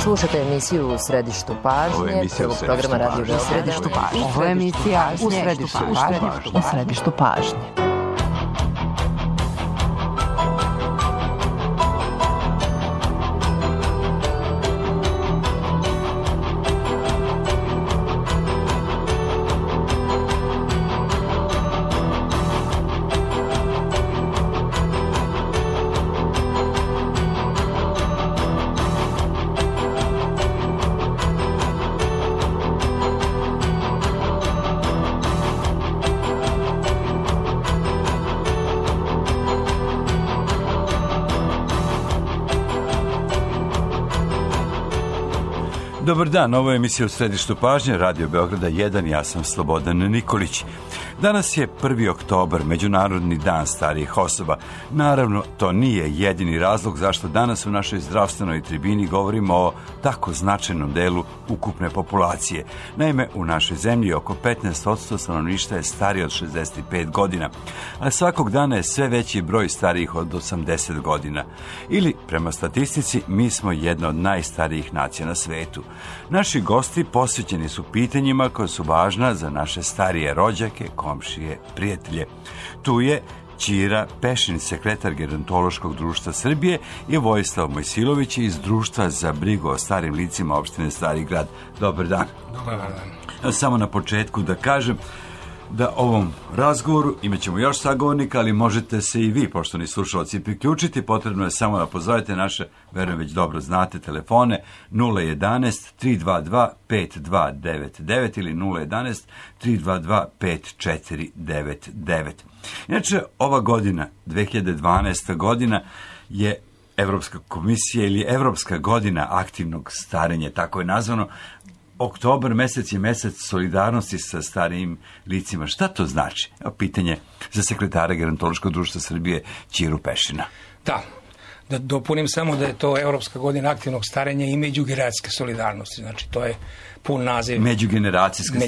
Slušate emisiju U središtu pažnje, prvog programa Radio Beograda. U središtu pažnje. Ovo je emisija U središtu pažnje. U središtu pažnje. Dobar dan, ovo je emisija U središtu pažnje, Radio Beograda 1, ja sam Slobodan Nikolić. Danas je 1. oktobar, Međunarodni dan starijih osoba. Naravno, to nije jedini razlog zašto danas u našoj zdravstvenoj tribini govorimo o tako značajnom delu ukupne populacije. Naime, u našoj zemlji oko 15% stanovništva je starije od 65 godina, a svakog dana je sve veći broj starijih od 80 godina. Ili, prema statistici, mi smo jedna od najstarijih nacija na svetu. Naši gosti posvećeni su pitanjima koja su važna za naše starije rođake, komšije, prijatelje. Tu je Ćira Pešin, sekretar Gerontološkog društva Srbije, i Vojislav Mojsilović iz Društva za brigu o starim licima opštine Stari Grad. Dobar dan. Dobar dan. Samo na početku da kažem da ovom razgovoru imat ćemo još sagovornika, ali možete se i vi, poštovani slušalci, priključiti. Potrebno je samo da pozovete naše, verujem već dobro znate, telefone 011-322-5299 ili 011-322-5499. Inače, ova godina, 2012. godina, je Evropska komisija ili Evropska godina aktivnog starenja, tako je nazvano. Oktobar mesec je mesec solidarnosti sa starijim licima. Šta to znači? Pitanje za sekretara Gerontološkog društva Srbije Ćiru Pešina. Da dopunim samo da je to Evropska godina aktivnog starenja i međugeneracijske solidarnosti. Znači, to je pun naziv međugeneracijske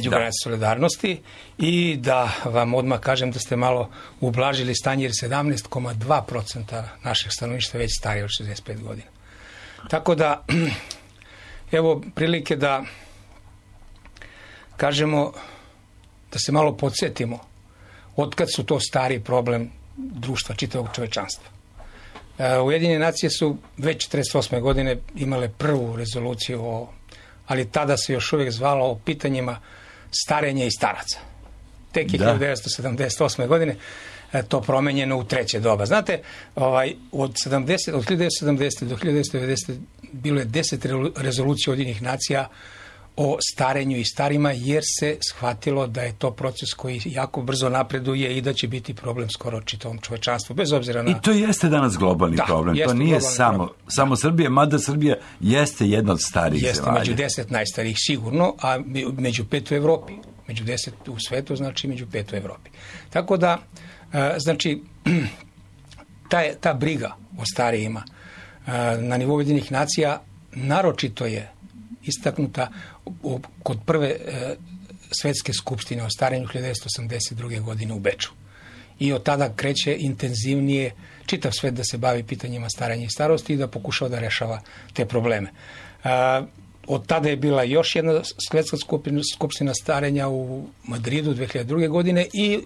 solidarnosti. I da vam odmah kažem da ste malo ublažili stanje, jer 17,2% našeg stanovništva već starije od 65 godina. Tako da, evo prilike da kažemo, da se malo podsjetimo otkad su to stari problem društva, čitavog čovečanstva. Ujedinjene nacije su već 48. godine imale prvu rezoluciju, ali tada se još uvijek zvalo o pitanjima starenja i staraca. Tek je 1978. godine to promenjeno u treće doba. Znate, od 1970. do 1990. bilo je 10 rezolucija Ujedinjenih nacija o starenju i starima, jer se shvatilo da je to proces koji jako brzo napreduje i da će biti problem skoro čitavom čovečanstvu, bez obzira na... I to jeste danas globalni problem. To nije samo Srbija, mada Srbija jeste jedna od starijih zemalja. Jeste među 10 najstarijih sigurno, a među 5 u Evropi. Među 10 u svetu, znači među 5 u Evropi. Tako da, znači, ta briga o starijima na nivou Ujedinjenih nacija naročito je istaknuta kod prve svetske skupštine o starenju 1982. godine u Beču. I od tada kreće intenzivnije čitav svet da se bavi pitanjima starenja i starosti i da pokušava da rešava te probleme. Od tada je bila još jedna svetska skupština starenja u Madridu 2002. godine i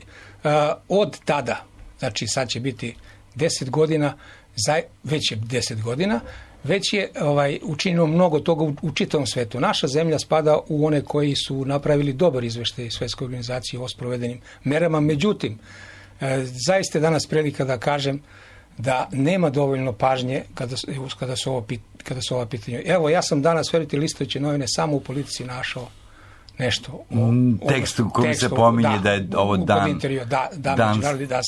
od tada, znači sad će biti 10 godina, već je 10 godina, već je učinilo mnogo toga u čitavom svetu. Naša zemlja spada u one koji su napravili dobar izveštaj Svetske organizacije o sprovedenim merama. Međutim, zaista je danas prilika da kažem da nema dovoljno pažnje kada su ova pitanja. Evo, ja sam danas, verujte, listajući novine, samo u Politici našao nešto tekstu koji se pominje da je ovo dan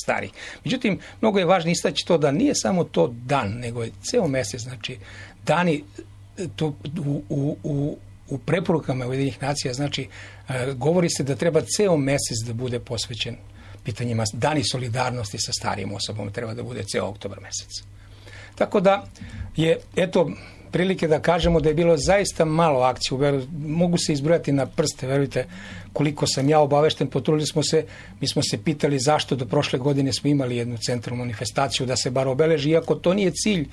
stari. Međutim, mnogo je važno istaći to da nije samo to dan, nego je ceo mesec. Znači, dani to u preporukama Ujedinjenih nacija, znači, govori se da treba ceo mesec da bude posvećen pitanjima dani solidarnosti sa starijim osobama, treba da bude ceo oktobar mesec. Tako da je, eto, prilike da kažemo da je bilo zaista malo akcija u Beogradu. Mogu se izbrojati na prste, verujte, koliko sam ja obavešten. Potrudili smo se, mi smo se pitali zašto do prošle godine smo imali jednu centralnu manifestaciju da se bar obeleži, iako to nije cilj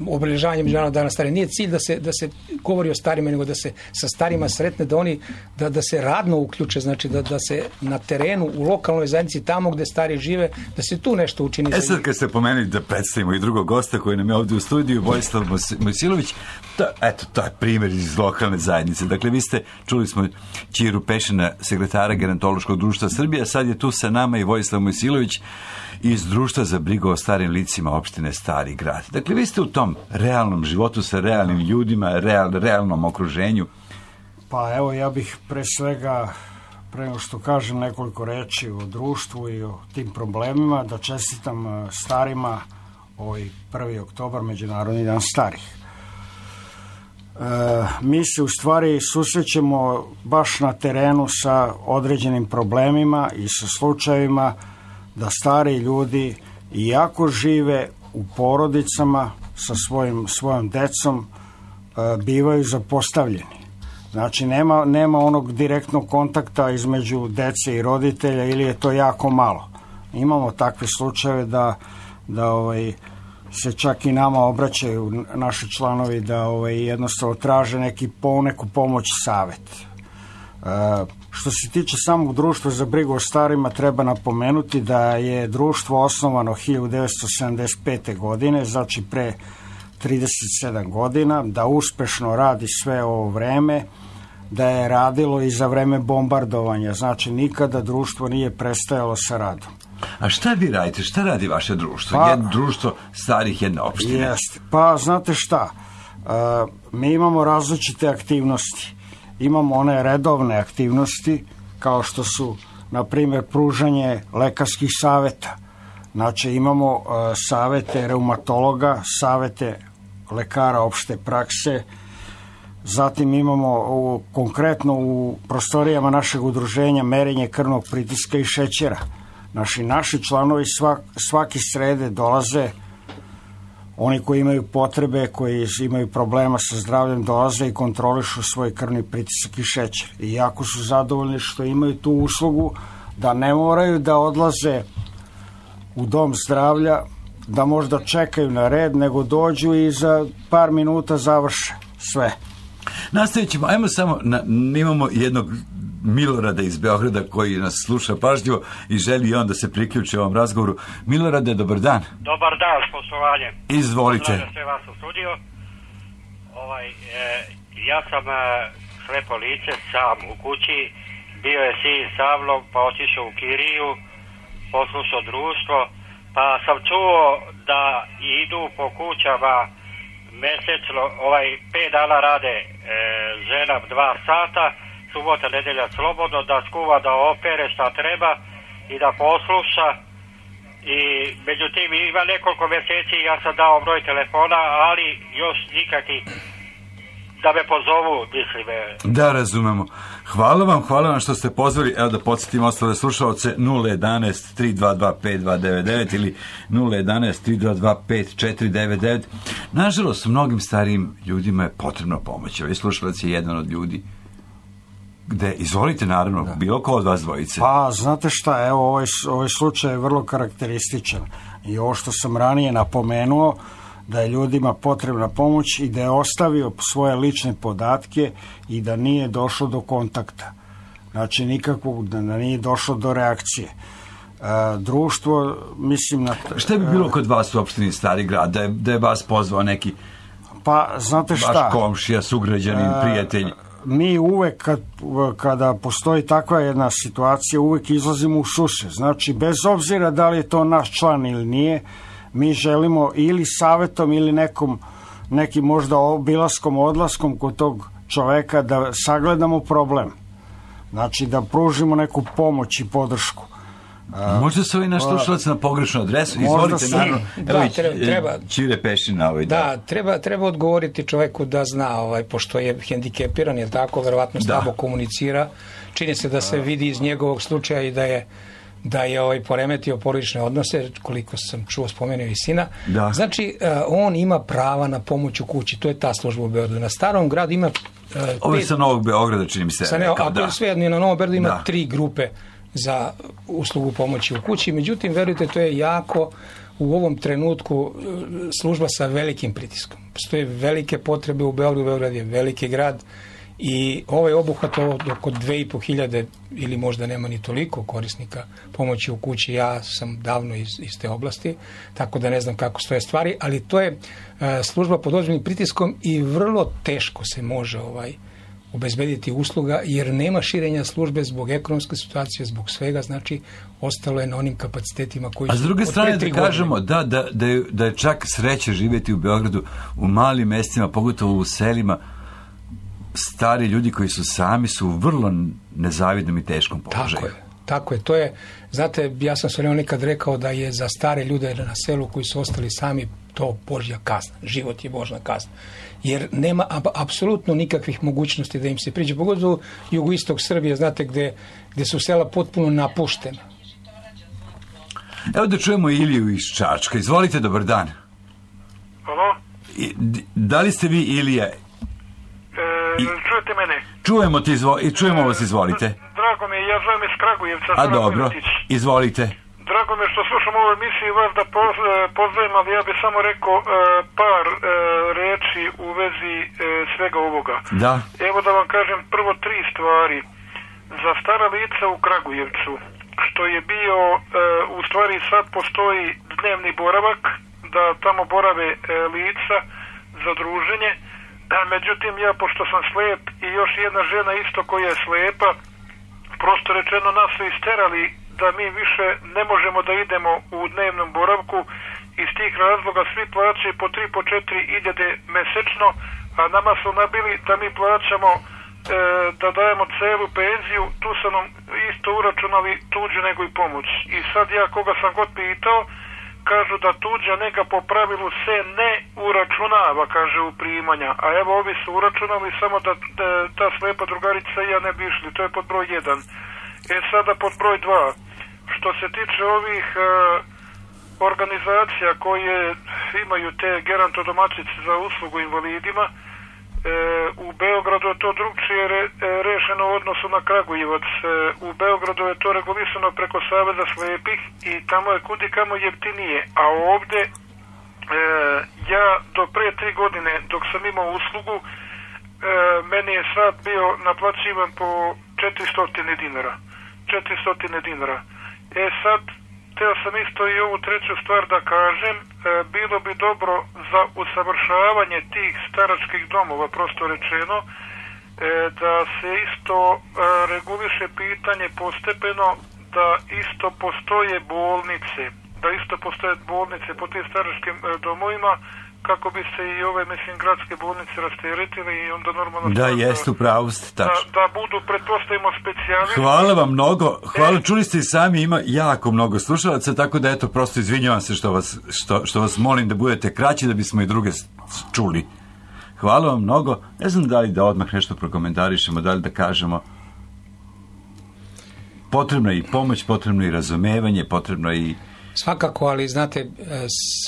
obeležavanja Međunarodnog dana starih. Nije cilj da se govori o starima, nego da se sa starima sretne, da oni da se radno uključe, znači da se na terenu, u lokalnoj zajednici, tamo gde stari žive, da se tu nešto učini. Sad kad ste pomenuli da predstavimo i drugog gosta koji nam je ovdje u studiju, Vojislav Mojsilović, to je primjer iz lokalne zajednice. Dakle, vi ste, čuli smo Ćiru Pešina, sekretara Gerontološkog društva Srbije, a sad je tu sa nama i Vojislav Mojsilović iz Društva za brigu o starim licima opštine Stari Grad. Dakle, vi ste u tom realnom životu sa realnim ljudima, realnom okruženju. Pa evo, ja bih pre svega, pre nego što kažem nekoliko reči o društvu i o tim problemima, da čestitam starima ovaj 1. oktobar, Međunarodni dan starih. Mi se u stvari susrećemo baš na terenu sa određenim problemima i sa slučajevima da stari ljudi, iako žive u porodicama sa svojom decom, bivaju zapostavljeni. Znači, nema onog direktnog kontakta između dece i roditelja, ili je to jako malo. Imamo takve slučajeve da se čak i nama obraćaju naši članovi, da jednostavno traže neku pomoć i savjet. Što se tiče samog društva za brigu o starima, treba napomenuti da je društvo osnovano 1975. godine, znači pre 37 godina, da uspešno radi sve ovo vreme, da je radilo i za vreme bombardovanja, znači nikada društvo nije prestajalo sa radom. A šta vi radite? Šta radi vaše društvo? Jedno društvo starih jedne opštine. Jeste. Pa, znate šta? Mi imamo različite aktivnosti. Imamo one redovne aktivnosti, kao što su, na primjer, pružanje lekarskih saveta. Znači, imamo savete reumatologa, savete lekara opšte prakse, zatim imamo konkretno u prostorijama našeg udruženja merenje krvnog pritiska i šećera. Naši članovi svake srede dolaze, oni koji imaju potrebe, koji imaju problema sa zdravljem, dolaze i kontrolišu svoj krvni pritisak i šećer. I jako su zadovoljni što imaju tu uslugu, da ne moraju da odlaze u dom zdravlja, da možda čekaju na red, nego dođu i za par minuta završe sve. Nastavit ćemo, ajmo samo, imamo jednog Milorada iz Beograda koji nas sluša pažljivo i želi i on da se priključi ovom razgovoru. Milorade, dobar dan. Dobar dan, s poštovanjem. Izvolite. Pozdravljam sve vas u studiju. Ja sam slepo lice, sam u kući, bio je sin sa mnom, pa otišao u kiriju, poslušao društvo, pa sam čuo da idu po kućama mesečno, 5 dana rade žena 2 sata, subota, nedelja slobodno, da skuva, da opere šta treba i da posluša. I međutim ima nekoliko mjeseci ja sam dao broj telefona, ali još nikakvi da me pozovu, mislim. Da, razumemo. Hvala vam što ste pozvali. Evo da podsjetim ostale slušalce, 011-322-5299 ili 011-322-5499. Nažalost, mnogim starijim ljudima je potrebna pomoć. Ovaj slušalac je jedan od ljudi. Izvolite, naravno, bilo ko od vas dvojice. Pa, znate šta, evo, ovaj slučaj je vrlo karakterističan. I ovo što sam ranije napomenuo, da je ljudima potrebna pomoć i da je ostavio svoje lične podatke i da nije došlo do kontakta. Znači, nikakvog, da nije došlo do reakcije. Društvo, mislim... Šta bi bilo kod vas u opštini Stari Grad, da je vas pozvao neki... Pa, znate šta... Vaš komšija, sugrađanin, prijatelj... Mi uvek, kada postoji takva jedna situacija, uvek izlazimo u susret. Znači, bez obzira da li je to naš član ili nije, mi želimo ili savetom ili nekim možda obilaskom, odlaskom kod tog čoveka da sagledamo problem. Znači, da pružimo neku pomoć i podršku. Možda se ovaj naš slušalac na pogrešnu adresu. Izvolite, naravno. Treba. Ćire Pešina. Treba odgovoriti čoveku da zna, pošto je hendikepiran, je tako, verovatno slabo komunicira. Čini se da se vidi iz njegovog slučaja i da je da je poremetio porodične odnose, koliko sam čuo, spomenuo i sina. Da. Znači, on ima prava na pomoć u kući. To je ta služba u Beogradu. Na Starom gradu ima... Ovo je sa Novog Beograda, čini mi se. Svejedno, na Novom Beogradu ima 3 grupe za uslugu pomoći u kući. Međutim, verujte, to je jako u ovom trenutku služba sa velikim pritiskom. Postoje velike potrebe u Beogradu. Beograd je veliki grad i ovaj obuhvat oko 2.500 ili možda nema ni toliko korisnika pomoći u kući. Ja sam davno iz te oblasti, tako da ne znam kako stoje stvari, ali to je služba pod ozbiljnim pritiskom i vrlo teško se može obezbediti usluga, jer nema širenja službe zbog ekonomske situacije, zbog svega, znači ostalo je na onim kapacitetima koji su... A s druge strane da kažemo da je čak sreće živjeti u Beogradu, u malim mestima, pogotovo u selima. Stari ljudi koji su sami su u vrlo nezavidnom i teškom položaju. Tako je. To je, znate, ja sam se nekad rekao da je za stare ljude na selu koji su ostali sami to Božja kazna. Život je Božja kazna. Jer nema apsolutno nikakvih mogućnosti da im se priđe. Pogotovo jugoistok Srbije, znate, gde su sela potpuno napuštena. Evo da čujemo Iliju iz Čačka. Izvolite, dobar dan. Halo? Da li ste vi Ilija? Čujete mene? Čujemo vas, izvolite. Drago mi je, ja zovem iz Kragujevca. A dobro, izvolite. Drago mi je što slušam ovu emisiju i vas da pozdravim, ali ja bih samo rekao par reči u vezi svega ovoga. Da. Evo da vam kažem prvo 3 stvari. Za stara lica u Kragujevcu, što je bio, u stvari sad postoji dnevni boravak, da tamo borave lica za druženje. Međutim, ja, pošto sam slep i još jedna žena isto koja je slepa, prosto rečeno nas su isterali da mi više ne možemo da idemo u dnevnom boravku. Iz tih razloga svi plaćaju po 3, po 4.000 mesečno, a nama su nabili da mi plaćamo, da dajemo celu penziju, tu su nam isto uračunali tuđu nego i pomoć. I sad ja koga sam god pitao, kažu da tuđa nega po pravilu se ne uračunava, kaže, u primanja. A evo ovi su uračunali, samo da ta slepa drugarica i ja ne bi išli. To je pod broj 1. Sada pod broj 2. Što se tiče ovih organizacija koje imaju te gerontodomaćice za uslugu invalidima, u Beogradu je to drugčije rešeno u odnosu na Kragujevac. U Beogradu je to regulisano preko Saveza slepih i tamo je kudikamo jeftinije. A ovde ja do pre 3 godine dok sam imao uslugu, meni je sad bio naplaćivan po 400 dinara. 400 dinara. Sad hteo sam isto i ovu 3. stvar da kažem, bilo bi dobro za usavršavanje tih staračkih domova, prosto rečeno, da se isto reguliše pitanje postepeno, da isto postoje bolnice po tim staračkim domovima, kako bi se i ove, gradske bolnice rasteretile i onda normalno... Da, jeste, upravo ste, tačno. Da budu, pretpostavimo, specijalisti. Hvala vam mnogo. Hvala, čuli ste i sami, ima jako mnogo slušalaca, tako da, eto, prosto izvinjavam se što vas molim da budete kraći, da bismo i druge čuli. Hvala vam mnogo. Ne znam da li da odmah nešto prokomentarišemo, da li da kažemo. Potrebno je i pomoć, potrebno je i razumevanje, potrebno je i... Svakako, ali znate,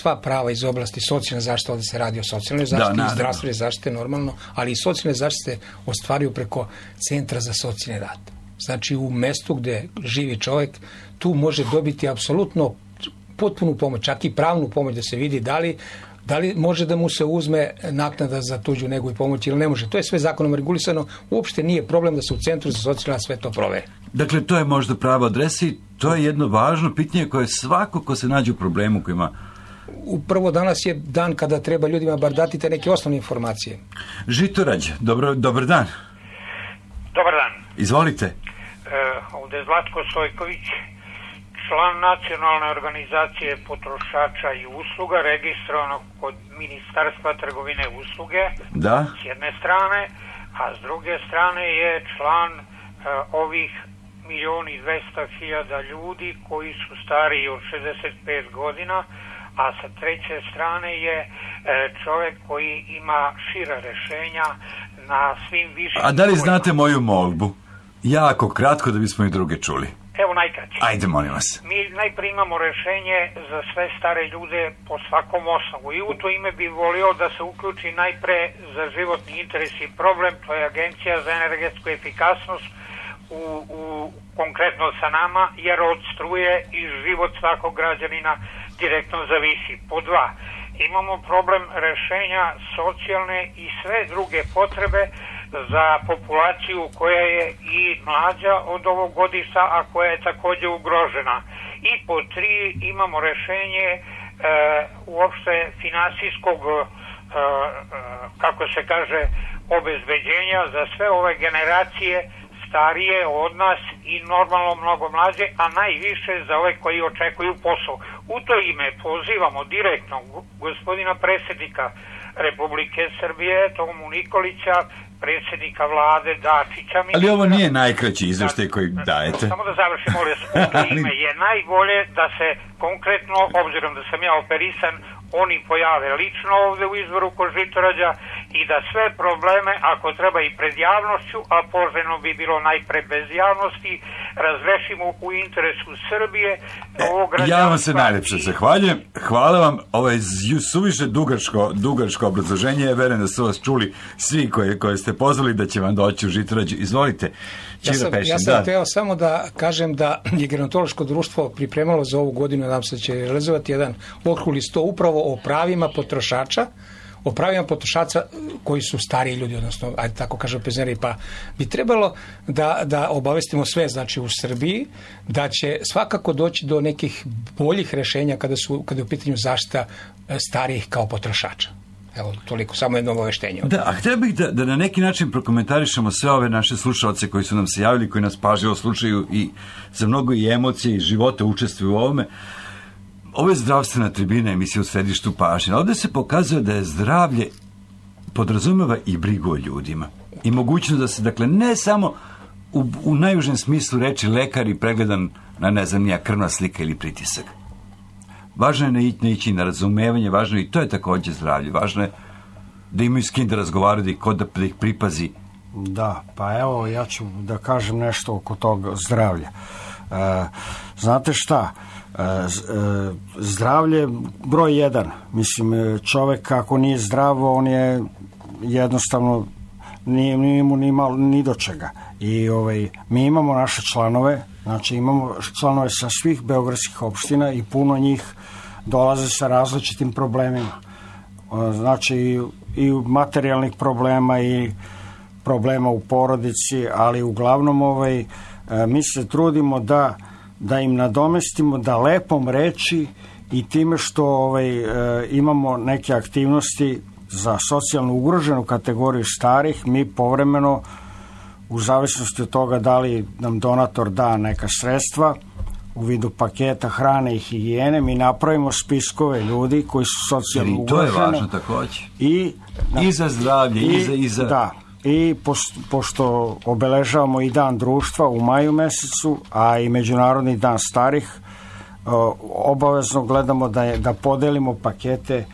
sva prava iz oblasti socijalne zaštite, ovdje se radi o socijalnoj zaštiti i zdravstvene zaštite normalno, ali i socijalne zaštite ostvaruju preko Centra za socijalni rad. Znači, u mestu gdje živi čovjek, tu može dobiti apsolutno potpunu pomoć, čak i pravnu pomoć, da se vidi da li može da mu se uzme naknada za tuđu negu i pomoć ili ne može. To je sve zakonom regulisano. Uopšte nije problem da se u Centru za socijalni rad sve to proveri. Dakle, to je možda prava adresa i to je jedno važno pitanje koje svako ko se nađe u problemu koji ima... Upravo danas je dan kada treba ljudima bar dati te neke osnovne informacije. Žitorađ, dobar dan. Dobar dan. Izvolite. Ovdje je Zlatko Stojković, član Nacionalne organizacije potrošača i usluga, registrovanog kod Ministarstva trgovine i usluge, da, s jedne strane, a s druge strane je član ovih 1.200.000 ljudi koji su stariji od 65 godina, a sa treće strane je čovjek koji ima šira rešenja na svim višim... A da li znate moju molbu? Jako kratko da bismo i druge čuli. Evo najkraće. Ajde, molim vas. Mi najprije imamo rešenje za sve stare ljude po svakom osnovu i u to ime bi volio da se uključi najpre za životni interes i problem, to je Agencija za energetsku efikasnost u konkretno sa nama, jer od struje i život svakog građanina direktno zavisi. Po dva, imamo problem rešenja socijalne i sve druge potrebe za populaciju koja je i mlađa od ovog godišta, a koja je takođe ugrožena. I po tri, imamo rešenje uopšte finansijskog, kako se kaže, obezbeđenja za sve ove generacije starije od nas i normalno mnogo mlađe, a najviše za ove koji očekuju posao. U to ime pozivamo direktno gospodina predsjednika Republike Srbije, Tomu Nikolića, predsjednika vlade Dačića. Ali ovo nije najkraći izveštaj koji dajete. Samo da završim, molim vas, u to ime je najbolje da se konkretno, obzirom da sam ja operisan, oni pojave lično ovde u izvoru kod Žitorađa i da sve probleme, ako treba i pred javnošću, a poželjno bi bilo najpre bez javnosti, razrešimo u interesu Srbije. Ja vam se najlepše zahvaljujem. Hvala vam. Ovo je suviše dugačko obrazloženje. Ja verujem da su vas čuli svi koje ste pozvali da će vam doći u Žitorađu. Izvolite. Ja sam hteo samo da kažem da je gerontološko društvo pripremalo za ovu godinu, nadam se da će realizovati jedan okrugli sto upravo o pravima potrošača, koji su stariji ljudi, odnosno, ajde tako kažem, penzioneri, pa bi trebalo da obavestimo sve, znači u Srbiji, da će svakako doći do nekih boljih rešenja kada je u pitanju zaštita starijih kao potrošača. Evo, toliko, samo jedno obaveštenje. Da, a htio bih da na neki način prokomentarišemo sve ove naše slušalce koji su nam se javili, koji nas pažljivo slušaju i za mnogo i emocije i života učestvuju u ovome. Ovo je zdravstvena tribina, emisija u središtu pažnje. Ovdje se pokazuje da je zdravlje podrazumeva i brigu o ljudima. I mogućnost da se, dakle, ne samo u najužem smislu reči lekar i pregledan na, ne znam, nija krvna slika ili pritisak. Važno je ne ići na razumevanje, važno je i to je također zdravlje. Važno je da imaju s kim da razgovaraju, da ih pripazi. Da, pa evo, ja ću da kažem nešto oko tog zdravlja. Znate šta? Zdravlje broj jedan. Mislim, čovek ako nije zdravo, on je jednostavno nije mu ni do čega. I mi imamo naše članove, znači imamo članove sa svih beogradskih opština i puno njih dolaze sa različitim problemima. Znači i materijalnih problema i problema u porodici, ali uglavnom mi se trudimo da im nadomestimo, da lepom reči i time što imamo neke aktivnosti za socijalno ugroženu kategoriju starih, mi povremeno, u zavisnosti od toga da li nam donator da neka sredstva u vidu paketa hrane i higijene, mi napravimo spiskove ljudi koji su socijalno ugroženi. I to je važno također. I za zdravlje, i za... Da. I pošto obeležavamo i dan društva u maju mesecu, a i Međunarodni dan starih, obavezno gledamo da podelimo pakete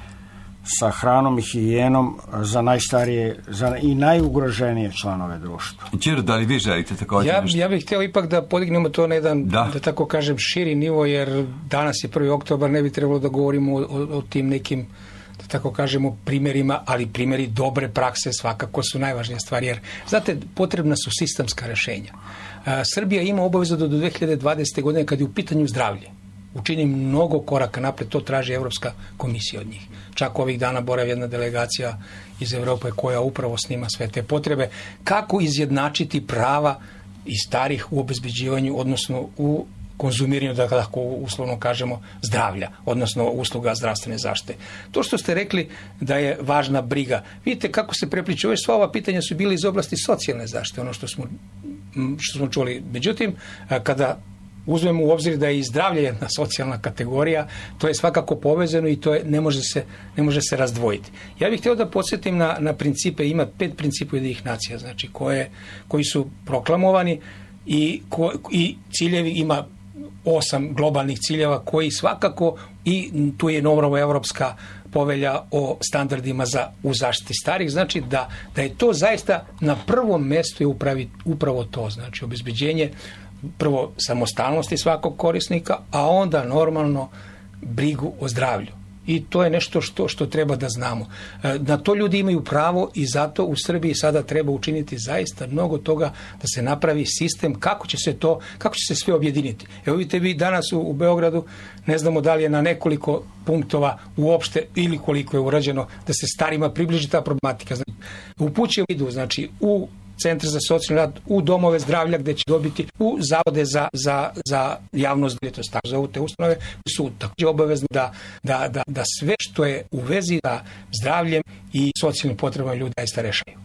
sa hranom i higijenom za najstarije i najugroženije članove društva. Ćiro, da li vi želite također nešto? Ja bih htio ipak da podignemo to na jedan, da tako kažem, širi nivo, jer danas je 1. oktobar, ne bi trebalo da govorimo o tim nekim, da tako kažemo, primjerima, ali primjeri dobre prakse svakako su najvažnija stvar, jer, znate, potrebna su sistemska rešenja. Srbija ima obavezu do 2020. godine, kad je u pitanju zdravlje, učini mnogo koraka napred, to traži Evropska komisija od njih. Čak ovih dana boravi jedna delegacija iz Evrope koja upravo snima sve te potrebe. Kako izjednačiti prava i starih u obezbeđivanju, odnosno u konzumiranju, da tako uslovno kažemo, zdravlja, odnosno usluga zdravstvene zaštite. To što ste rekli da je važna briga. Vidite kako se prepliču. Sva ova pitanja su bili iz oblasti socijalne zaštite, ono što smo čuli. Međutim, kada uzmemo u obzir da je i zdravlje jedna socijalna kategorija, to je svakako povezano i to ne može se razdvojiti. Ja bih htio da podsjetim na principe, ima 5 principa Ujedinjenih nacija, znači koji su proklamovani i ciljevi, ima 8 globalnih ciljeva koji svakako, i tu je novo Evropska povelja o standardima u zaštiti starih, znači da je to zaista na prvom mjestu je upravo to, znači obezbeđenje prvo samostalnosti svakog korisnika, a onda normalno brigu o zdravlju. I to je nešto što treba da znamo. Na to ljudi imaju pravo i zato u Srbiji sada treba učiniti zaista mnogo toga da se napravi sistem kako će se sve objediniti. Evo vidite vi danas u Beogradu, ne znamo da li je na nekoliko punktova uopšte ili koliko je urađeno da se starima približi ta problematika. Znači, upućuju idu, znači u centre za socijalni rad, u domove zdravlja gdje će dobiti, u zavode za javno zdravlje, to je tako zovu te ustanove, su također obavezni da sve što je u vezi sa zdravljem i socijalnim potrebama ljudi zaista rešaju.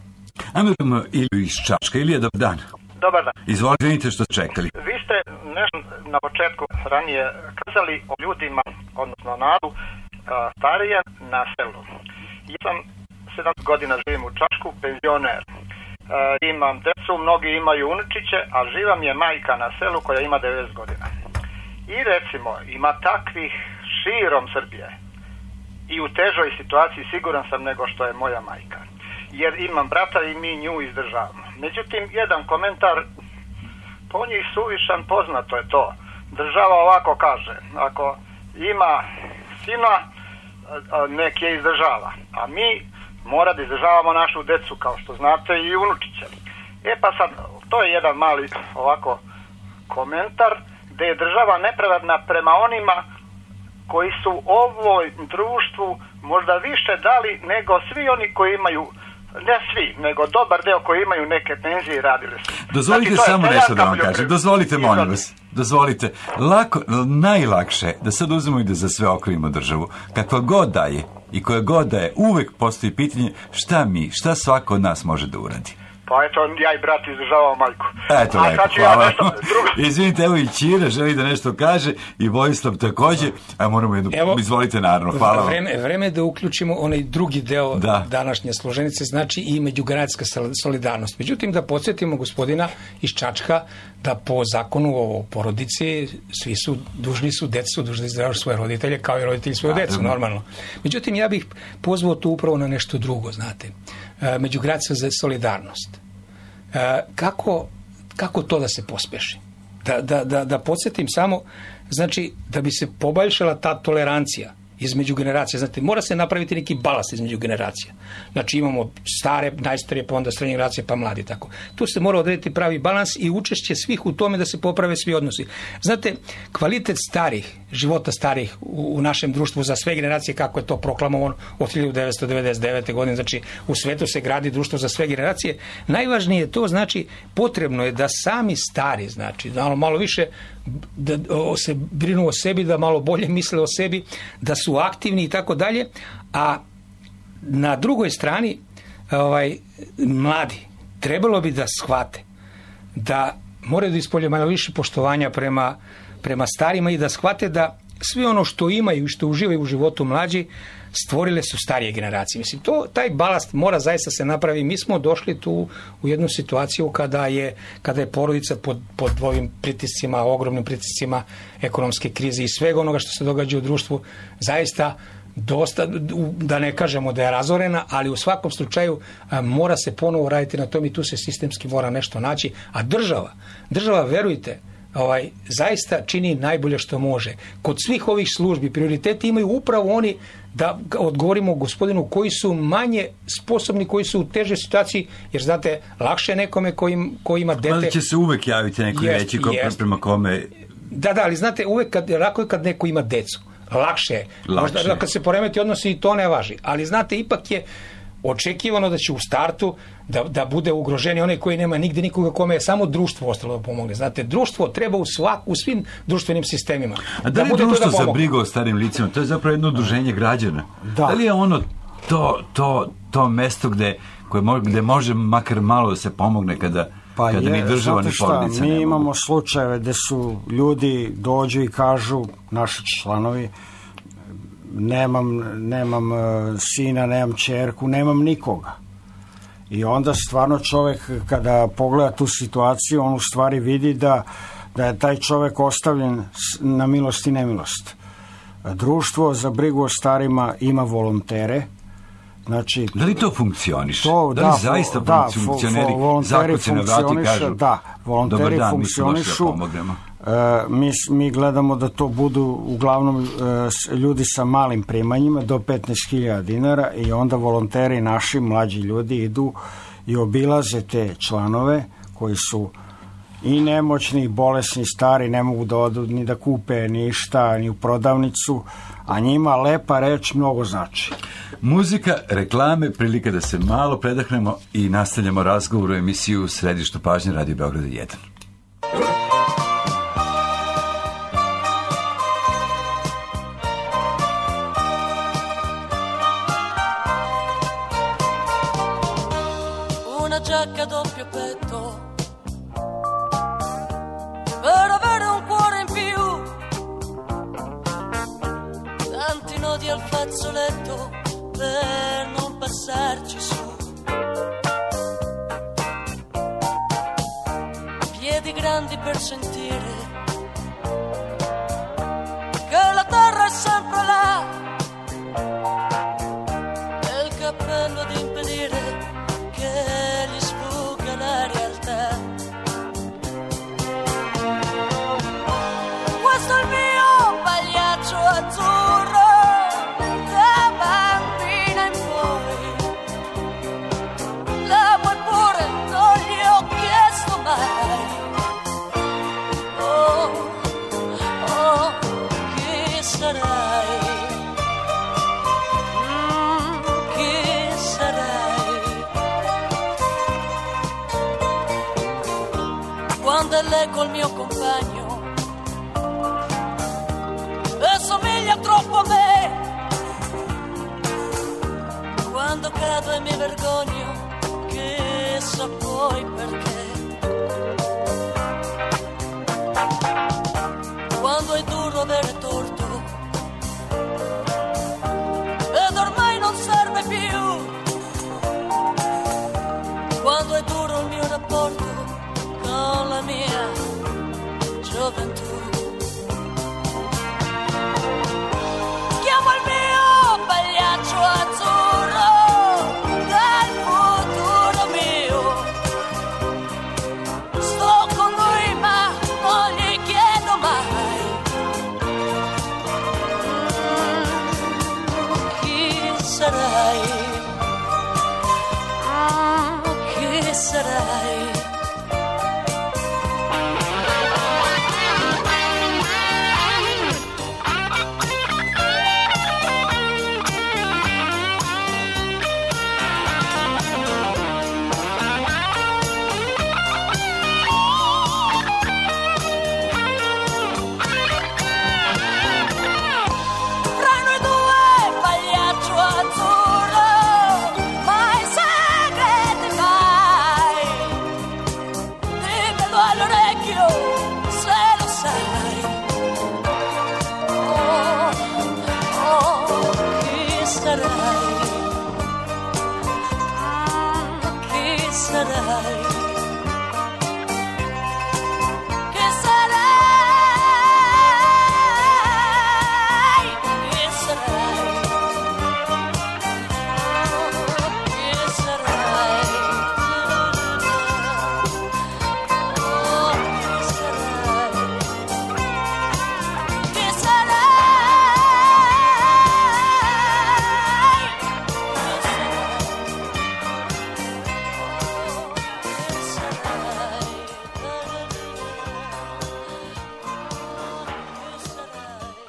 Ajmo Iliju iz Čačka. Ilija, dobar dan. Dobar dan. Izvolite što ste čekali. Vi ste nešto na početku ranije kazali o ljudima, odnosno narodu, starije na selu. Ja sam 7 godina živim u Čačku, penzioner. Imam decu, mnogi imaju unučiće, a živa mi je majka na selu koja ima 90 godina. I recimo, ima takvih širom Srbije i u težoj situaciji siguran sam nego što je moja majka. Jer imam brata i mi nju izdržavamo. Međutim, jedan komentar, po njih suvišan, poznato je to. Država ovako kaže, ako ima sina, nek je izdržava. A mi mora da izdržavamo našu decu, kao što znate, i unučiće. Pa sad, to je jedan mali ovako komentar, gde je država nepravedna prema onima koji su ovoj društvu možda više dali nego svi oni koji imaju, ne svi, nego dobar deo koji imaju neke penzije i radili su. Dozvolite znači, samo nešto da vam kažem. Dozvolite, molim vas. Dozvolite. Najlakše da sad uzmemo i da za sve okrivimo državu. Kakva god daje i koja god daje, uvek postoji pitanje šta svako od nas može da uradi. Pa eto, ja i brat izdržavao majku. Eto, lepo, hvala. Izvinite, evo i Ćira želi da nešto kaže i Vojislav takođe, a moramo jednu, izvolite naravno, hvala vam. Vreme da uključimo onaj drugi deo današnje složenice, znači i međugeneracijska solidarnost. Međutim, da podsjetimo gospodina iz Čačka da po zakonu o porodici svi su dužni da izdržavaju svoje roditelje kao i roditelji svoju decu, normalno. Međutim, ja bih pozvao tu upravo na nešto drugo, znate. Međugeneracijska solidarnost. Kako to da se pospeši? Da podsjetim samo, znači, da bi se poboljšala ta tolerancija između generacija. Znate, mora se napraviti neki balans između generacija. Znači, imamo stare, najstarije, pa onda srednje generacije, pa mladi, tako. Tu se mora odrediti pravi balans i učešće svih u tome da se poprave svi odnosi. Znate, kvalitet života starih u našem društvu za sve generacije, kako je to proklamovano od 1999. godine, znači, u svetu se gradi društvo za sve generacije. Najvažnije je to, znači, potrebno je da sami stari, znači, malo više da se brinu o sebi, da malo bolje misle o sebi, da su aktivni i tako dalje, a na drugoj strani mladi trebalo bi da shvate da moraju da ispolje malo više poštovanja prema starima i da shvate da sve ono što imaju i što uživaju u životu mlađi stvorile su starije generacije. Mislim, taj balast mora zaista se napravi. Mi smo došli tu u jednu situaciju kada je porodica pod ovim pritiscima, ogromnim pritiscima ekonomske krize i svega onoga što se događa u društvu, zaista dosta, da ne kažemo da je razorena, ali u svakom slučaju mora se ponovo raditi na tom i tu se sistemski mora nešto naći. A država, verujte, zaista čini najbolje što može. Kod svih ovih službi prioriteti imaju upravo oni, da odgovorimo gospodinu, koji su manje sposobni, koji su u težoj situaciji, jer znate, lakše je nekome koji ima dete. Ali će se uvek javiti neko reći prema kome... Da, ali znate, uvek lako je kad neko ima decu. Lakše je. Možda kad se poremeti odnosi i to ne važi. Ali znate, ipak je očekivano da će u startu da bude ugroženi onaj koji nema nigde nikoga kome je samo društvo ostalo da pomogne. Znate, društvo treba u svim društvenim sistemima. A da li je društvo za brigu o starim licima? To je zapravo jedno udruženje građana. Da li je ono to mesto gde može makar malo da se pomogne kada ni država ni porodica ne mogu? Mi imamo slučajeve gde su ljudi dođu i kažu, naši članovi, nemam sina, nemam ćerku, nemam nikoga. I onda stvarno čovjek kada pogleda tu situaciju, on u stvari vidi da je taj čovjek ostavljen na milost i nemilost. Društvo za brigu o starima ima volontere Znači, da li to funkcioniše? Da li zaista funkcioneri zakuci na vrati kažu volonteri funkcionišu. Mi gledamo da to budu uglavnom ljudi sa malim primanjima do 15.000 dinara i onda volonteri, naši mlađi ljudi, idu i obilaze te članove koji su i nemoćni, i bolesni, stari, ne mogu da odu ni da kupe ništa, ni u prodavnicu, a njima lepa reč mnogo znači. Muzika, reklame, prilika da se malo predahnemo i nastavljamo razgovor u emisiju u središtu pažnje Radio Beograda 1. Una giacca doppio petto per avere un cuore in più, tanti nodi al fazzoletto per non passarci su, piedi grandi per sentire che la terra è sempre là, e il cappello ad impedire che gli sfugga la realtà. Questo è il mio pagliaccio azzurro, da bambina in poi. L'amo eppure non gli ho chiesto mai. Oh, oh, chi sarai? Chi sarai? Quando è lei col mio compagno e somiglia troppo a me, quando cado e mi vergogno, chissà poi perché. Quando è duro avere torto ed ormai non serve più, quando è duro il mio rapporto con la mia gioventù. Chiamo il mio pagliaccio azzurro del futuro mio, sto con lui ma non gli chiedo mai. Chi sarai? Chi sarai?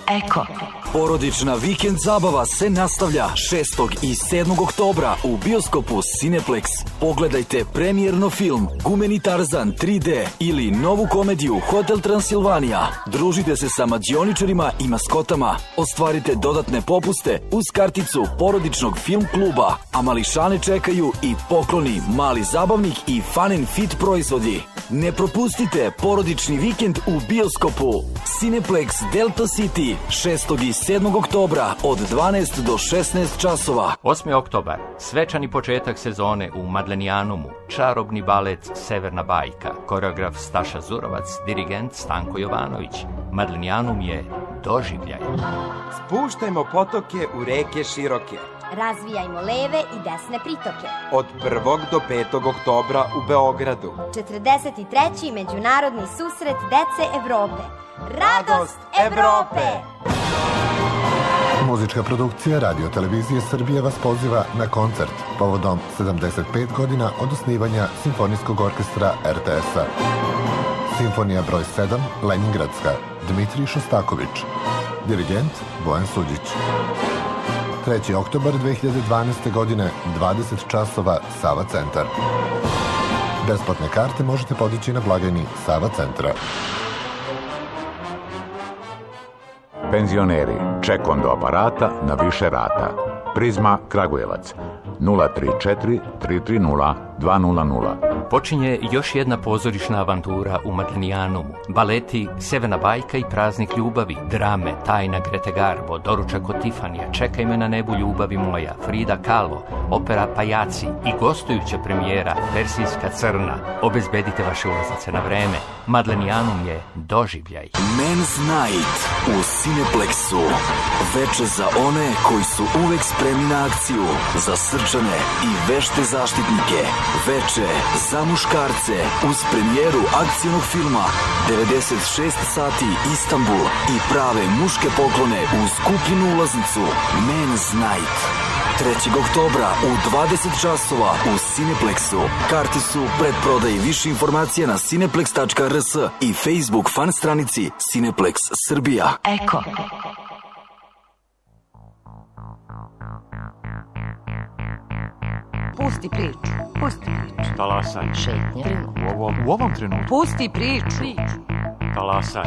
Eko. Porodična vikend zabava se nastavlja 6. i 7. oktobra u bioskopu Cineplex. Pogledajte premijerno film Gumeni Tarzan 3D ili novu komediju Hotel Transilvanija. Družite se sa mađioničarima i maskotama. Ostvarite dodatne popuste uz karticu porodičnog film kluba, a mališane čekaju i pokloni, mali zabavnik i fun and fit proizvodi. Ne propustite porodični vikend u bioskopu Cineplex Delta City 6. i 7. oktobra od 12 do 16 časova. 8. oktobar, svečani početak sezone u Madlenijanumu, čarobni balet Severna bajka, koreograf Staša Zurovac, dirigent Stanko Jovanović. Madlenijanum je doživljaj. Spuštajmo potoke u reke široke, Razvijajmo leve i desne pritoke. Od 1. do 5. oktobra u Beogradu. 43. Međunarodni susret dece Evrope. Radost Evrope! Muzička produkcija Radio Televizije Srbije vas poziva na koncert povodom 75 godina od osnivanja Simfonijskog orkestra RTS-a. Simfonija broj 7, Leningradska, Dmitrij Šostaković. Dirigent Bojan Suđić. 3. oktobar 2012. godine, 20 časova, Sava centar. Besplatne karte možete podići na blagajni Sava centra. Penzioneri, ček do aparata na više rata. Prizma Kragujevac 034 330 200. Počinje još jedna pozorišna avantura u Madlenijanumu. Baleti Severna bajka i Praznik ljubavi, drame Tajna Grete Garbo, Doručak od Tifanija, Čekaj me na nebu ljubavi moja, Frida Kahlo, opera Pajaci i gostujuća premijera Persijska crna. Obezbedite vaše ulaznice na vreme. Madlenijanum je doživljaj. Men's Night u Cineplexu. Veče za one koji su uvek spremni na akciju, za srčane i vešte zaštitnike. Veče za muškarce uz premijeru akcijnog filma 96 sati Istanbul i prave muške poklone uz kupljenu ulaznicu. Men's Night 3. oktobra u 20 časova u Cineplexu. Karti su predprodaji. Više informacija na cineplex.rs i Facebook fan stranici Cineplex Srbija. Eko. Pusti priču. Pusti priču. Talasaj. Šetnje. U ovom trenutku. Pusti priču. Talasaj.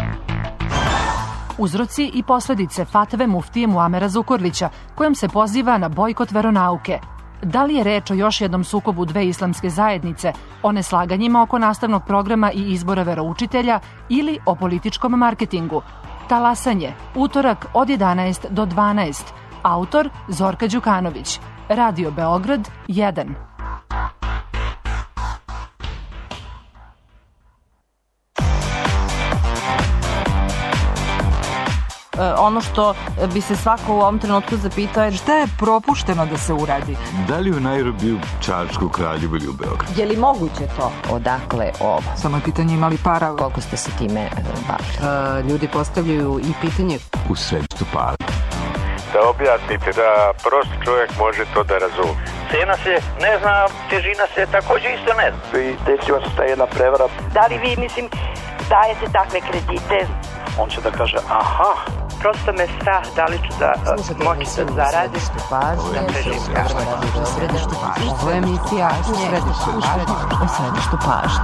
Uzroci i posledice fatve muftije Muamera Zukorlića, kojom se poziva na bojkot veronauke. Da li je reč o još jednom sukobu dve islamske zajednice, o neslaganjima oko nastavnog programa i izbora veroučitelja ili o političkom marketingu? Talasanje, utorak od 11 do 12. Autor Zorka Đukanović. Radio Beograd 1. Ono što bi se svako u ovom trenutku zapitao je šta je propušteno da se uradi. Da li u Nairobiju, Čačku, Kraljevu ili u Beogradu? Je li moguće to? Odakle ovo? Samo je pitanje imali para. Koliko ste se time bavili? Ljudi postavljaju i pitanje U središtu pažnje. Da objasnite da prost čovjek može to da razumije. Cena se ne zna, težina se također isto ne zna. I desila se ta jedna prevara. Da li vi, dajete takve kredite? On će da kaže, aha. Prosto me strah da li ću da moći da zaradim. Ovo je emisija u središtu pažnje.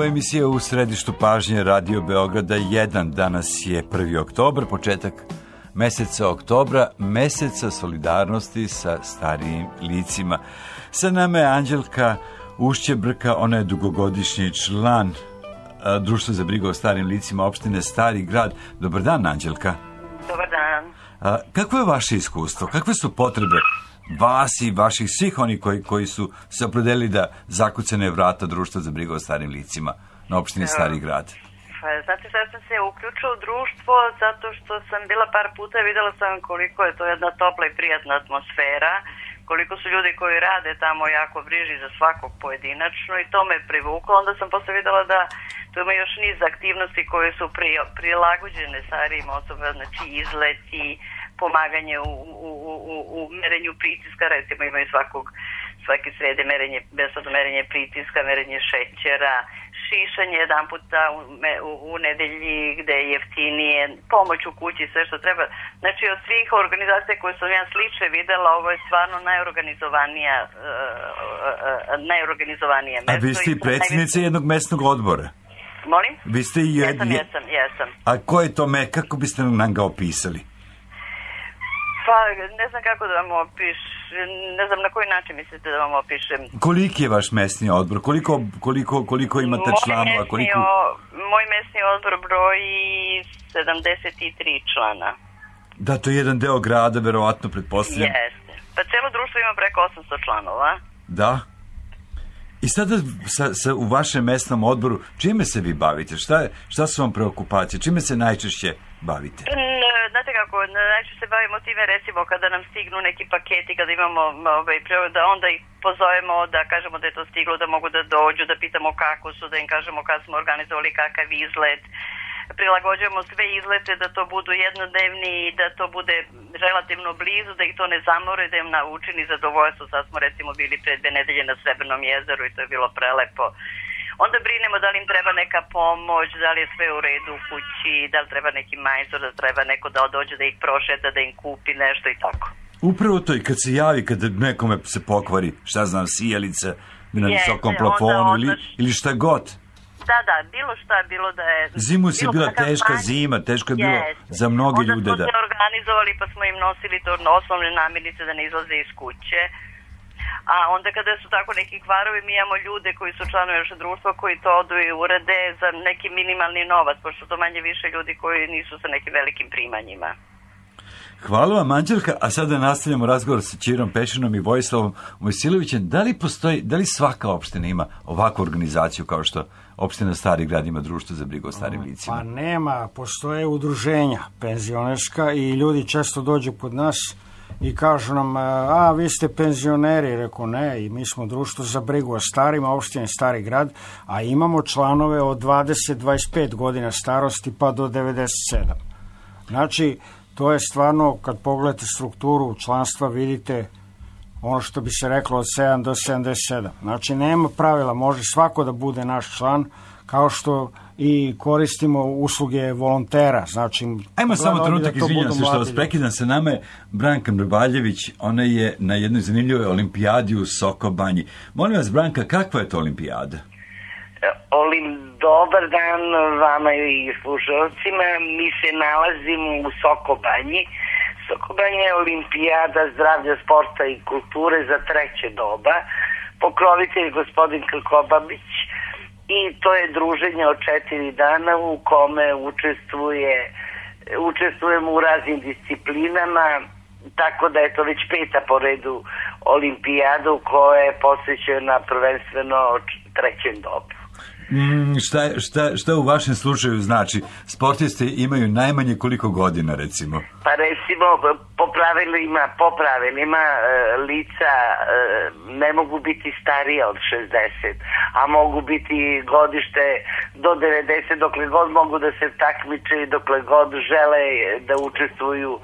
Emisija u središtu pažnje Radio Beograda 1. Danas je 1. oktobar, početak meseca oktobra, meseca solidarnosti sa starijim licima. Sa nama je Anđelka Ušćebrka, ona je dugogodišnji član Društva za brigu o starijim licima opštine Stari Grad. Dobar dan, Anđelka. Dobar dan. Kako je vaše iskustvo? Kakve su potrebe vas i vaših svih oni koji su se opredelili da zakucane vrata Društva za brigu o starim licima na opštini Stari Grad? Znate šta, sam se uključila u društvo zato što sam bila par puta i videla sam koliko je to jedna topla i prijatna atmosfera, koliko su ljudi koji rade tamo jako briži za svakog pojedinačno i to me privuklo. Onda sam posle videla da tu ima još niz aktivnosti koje su prilagođene starijim osobama, znači izleti, pomaganje u merenju pritiska, recimo imaju svake srede besplatno merenje pritiska, merenje šećera, šišanje jedan puta u nedelji gde je jeftinije, pomoć u kući, sve što treba. Znači od svih organizacija koje sam ja slične videla, ovo je stvarno najorganizovanije mesto. A vi ste i predsjednica jednog mesnog odbora. Molim? Vi ste i Jesam. A ko je to kako biste nam ga opisali? Pa, ne znam kako da vam opišem, ne znam na koji način mislite da vam opišem. Koliki je vaš mesni odbor? Koliko imate članova? Moj mesni odbor broji 73 člana. Da, to je jedan deo grada, verovatno, pretpostavljam. Jeste. Pa cijelo društvo ima preko 800 članova. Da. I sada u vašem mesnom odboru, čime se vi bavite? Šta su vam preokupacije? Čime se najčešće bavite? Znate kako, najčešće se bavimo time, recimo, kada nam stignu neki paketi, kada imamo, da onda ih pozovemo, da kažemo da je to stiglo, da mogu da dođu, da pitamo kako su, da im kažemo kad smo organizovali kakav izlet. Prilagođujemo sve izlete da to budu jednodnevni i da to bude relativno blizu, da ih to ne zamore, da im učini zadovoljstvo. Sad smo recimo bili pre 2 nedelje na Srebrnom jezeru i to je bilo prelepo. Onda brinemo da li im treba neka pomoć, da li je sve u redu u kući, da li treba neki majstor, da treba neko da dođe da ih prošeta, da im kupi nešto i tako. Upravo to i kad se javi, kad nekome se pokvari, šta znam, sijalica na visokom plafonu ili šta god. Da, bilo šta, bilo da je... Zimu si bila teška zima, teško je bilo za mnoge ljude. Onda smo se organizovali pa smo im nosili to osnovne namirnice da ne izlaze iz kuće. A onda kada su tako neki kvarovi, mi imamo ljude koji su članovi našeg društva koji to odu i urade za neki minimalni novac, pošto to manje više ljudi koji nisu sa nekim velikim primanjima. Hvala vam, Anđelka, a sada nastavljamo razgovor sa Ćirom Pešinom i Vojislavom Mojsilovićem. Da li svaka opština ima ovakvu organizaciju kao što opština Stari Grad ima društvo za brigu o starim licima? Pa nema, postoje udruženja penzionerska i ljudi često dođu kod nas i kažu nam, vi ste penzioneri, rekao ne, i mi smo društvo za brigu o starima, opštine Stari Grad, a imamo članove od 20-25 godina starosti pa do 97. Znači, to je stvarno, kad pogledate strukturu članstva, vidite ono što bi se reklo od 7 do 77. Znači, nema pravila, može svako da bude naš član, kao što i koristimo usluge volontera. Znači, ajmo samo trenutak, izvinjam se što vas prekidam, sa nama je Branka Mrbaljević, ona je na jednoj zanimljivoj olimpijadi u Sokobanji. Molim vas, Branka, kakva je to olimpijada? Dobar dan vama i slušalcima. Mi se nalazimo u Sokobanji. Sokobanja je olimpijada zdravlja, sporta i kulture za treće doba. Pokrovitelj gospodin Krkobabić i to je druženje od 4 dana u kome učestvujemo u raznim disciplinama, tako da je to već 5. po redu olimpijada koja je posvećena prvenstveno trećem dobu. Šta u vašem slučaju znači? Sportisti imaju najmanje koliko godina, recimo? Pa recimo, po pravilima lica ne mogu biti starija od 60, a mogu biti godište do 90, dokle god mogu da se takmiče i dokle god žele da učestvuju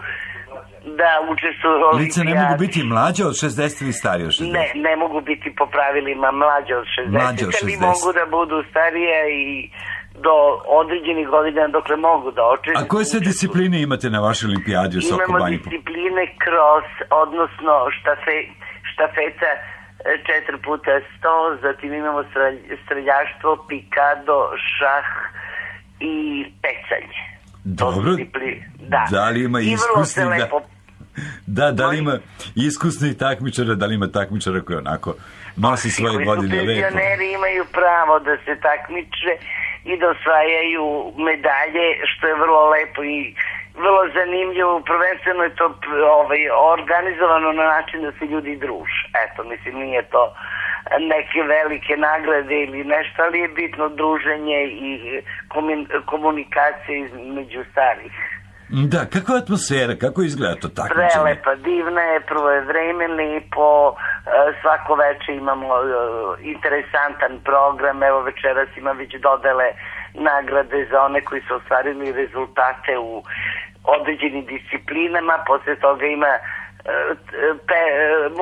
lice ne mogu biti mlađe od 60 ili starije od 60? Ne mogu biti po pravilima mlađe od 60. Ali mogu da budu starije i do određenih godina dokle mogu da očestuju. A koje sve discipline imate na vašoj olimpijadi u Sokobanji? Imamo discipline cross, odnosno štafeta 4x100, zatim imamo streljaštvo, pikado, šah i pecanje. Dobro, da li ima iskusni da li ima iskusnih takmičara, da li ima takmičara koji onako nosi svoje godine lepo? Penzioneri imaju pravo da se takmiče i da osvajaju medalje, što je vrlo lepo i vrlo zanimljivo. Prvenstveno je to organizovano na način da se ljudi druže. Eto, mislim, nije to neke velike nagrade ili nešto, ali je bitno druženje i komunikacija između starih. Da, kakva atmosfera, kako izgleda to takmičenje? Prelepa, divna je, prvo je vreme lepo, svako večer imamo interesantan program, evo večeras ima već dodele nagrade za one koji su ostvarili rezultate u određenim disciplinama, posle toga ima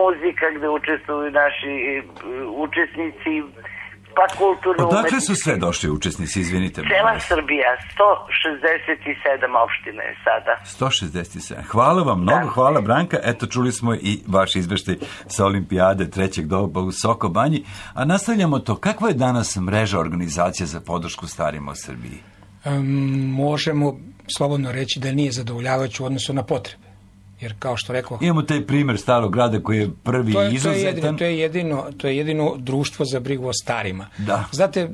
muzika gde učestvuju naši učesnici, pa kulturno umetnički. Odakle su sve došli učesnici, izvinite? Cela Srbija, 167 opština je sada. 167. Hvala vam mnogo, hvala Branka. Eto, čuli smo i vaš izveštaj sa olimpijade trećeg doba u Soko Banji. A nastavljamo to. Kakva je danas mreža organizacija za podršku starima u Srbiji? Možemo slobodno reći da nije zadovoljavajući u odnosu na potrebe. Jer kao što rekao... Imamo taj primjer Starog grada koji je prvi izuzetan. To je jedino društvo za brigu o starima. Da. Znate,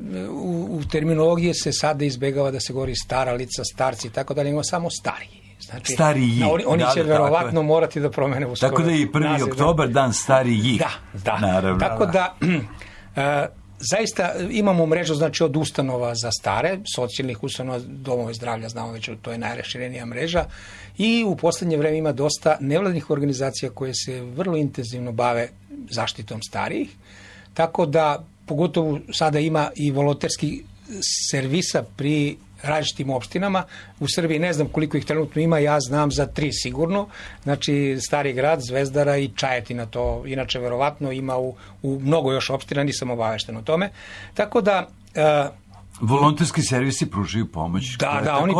u terminologiji se sada izbjegava da se govori stara lica, starci i tako dalje, imamo samo stariji. Znači, stariji. Oni će verovatno morati da promene u skoro. Tako da je i 1. oktobar dan starijih. Da. Naravno, tako da... Zaista imamo mrežu, znači, od ustanova za stare, socijalnih ustanova, domove zdravlja, znamo već, to je najraširenija mreža, i u posljednje vreme ima dosta nevladnih organizacija koje se vrlo intenzivno bave zaštitom starijih, tako da pogotovo sada ima i volonterski servisa pri različitim opštinama. U Srbiji ne znam koliko ih trenutno ima, ja znam za 3 sigurno, znači Stari grad, Zvezdara i Čajetina, to inače verovatno ima u mnogo još opština, nisam obavešten o tome. Tako da... volonterski servisi pružaju pomoć. Oni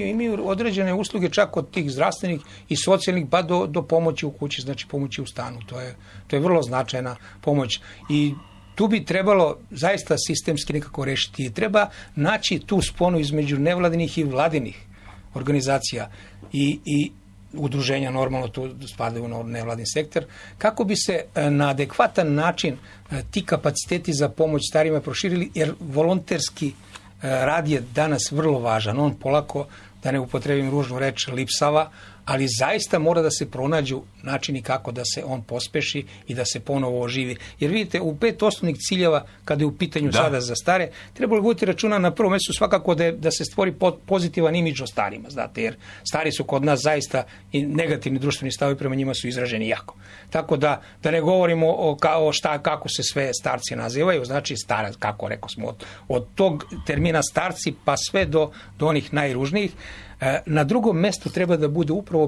imaju određene usluge čak od tih zdravstvenih i socijalnih pa do pomoći u kući, znači pomoći u stanu. To je vrlo značajna pomoć i tu bi trebalo zaista sistemski nekako rešiti. Treba naći tu sponu između nevladinih i vladinih organizacija i udruženja, normalno tu spadaju u nevladin sektor, kako bi se na adekvatan način ti kapaciteti za pomoć starima proširili, jer volonterski rad je danas vrlo važan. On polako, da ne upotrebim ružnu reč, lipsava, ali zaista mora da se pronađu načini kako da se on pospeši i da se ponovo oživi. Jer vidite, u 5 osnovnih ciljeva, kada je u pitanju sada za stare, trebalo voditi računa na prvom mjestu svakako da se stvori pozitivan imidž o starima, znate, jer stari su kod nas zaista i negativni društveni stavovi prema njima su izraženi jako. Tako da ne govorimo kako se sve starci nazivaju, znači starac, kako rekao smo, od tog termina starci pa sve do onih najružnijih. Na drugom mjestu treba da bude upravo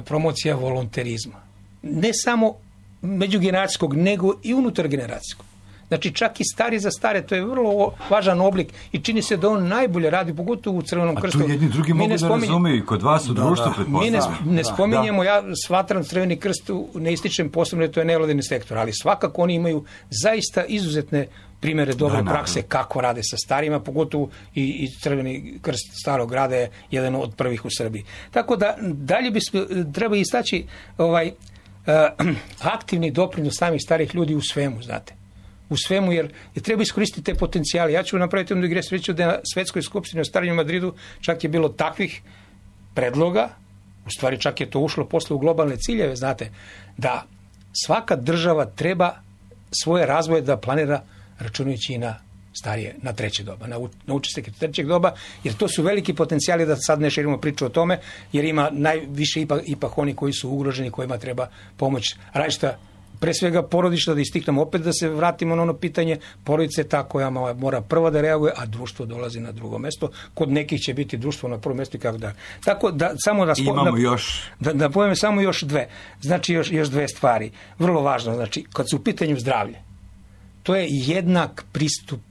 promocija volonterizma. Ne samo međugeneracijskog, nego i unutargeneracijskog. Znači čak i stari za stare, to je vrlo važan oblik i čini se da on najbolje radi, pogotovo u Crvenom krstu. A tu jedni drugi mogu da razumiju i kod vas u društvu, pretpostavljam. Mi ne spominjemo, ja shvatram Crveni krst, ne ističem posebno da to je nevladini sektor, ali svakako oni imaju zaista izuzetne primjere dobre prakse kako rade sa starima, pogotovo i Crveni krst Starog grada je jedan od prvih u Srbiji. Tako da dalje treba istaći aktivni doprinos samih starih ljudi u svemu, znate. U svemu, jer treba iskoristiti te potencijale. Ja ću napraviti jednu digresiju da na Svetskoj skupštini u Starom Madridu čak je bilo takvih predloga, u stvari čak je to ušlo posle u globalne ciljeve, znate, da svaka država treba svoje razvoje da planira računajući i na starije, na treće doba, na učesnike trećeg doba, jer to su veliki potencijali, da sad ne širimo priču o tome, jer ima najviše ipak oni koji su ugroženi, kojima treba pomoć različita, pre svega porodična, da istiknemo opet, da se vratimo na ono pitanje, porodica je ta koja mora prva da reaguje, a društvo dolazi na drugo mesto. Kod nekih će biti društvo na prvom mestu i kako da. Tako da samo da povijem samo još dve. Znači još dve stvari. Vrlo važno, znači kad su u pitanju zdravlje, to je jednak pristup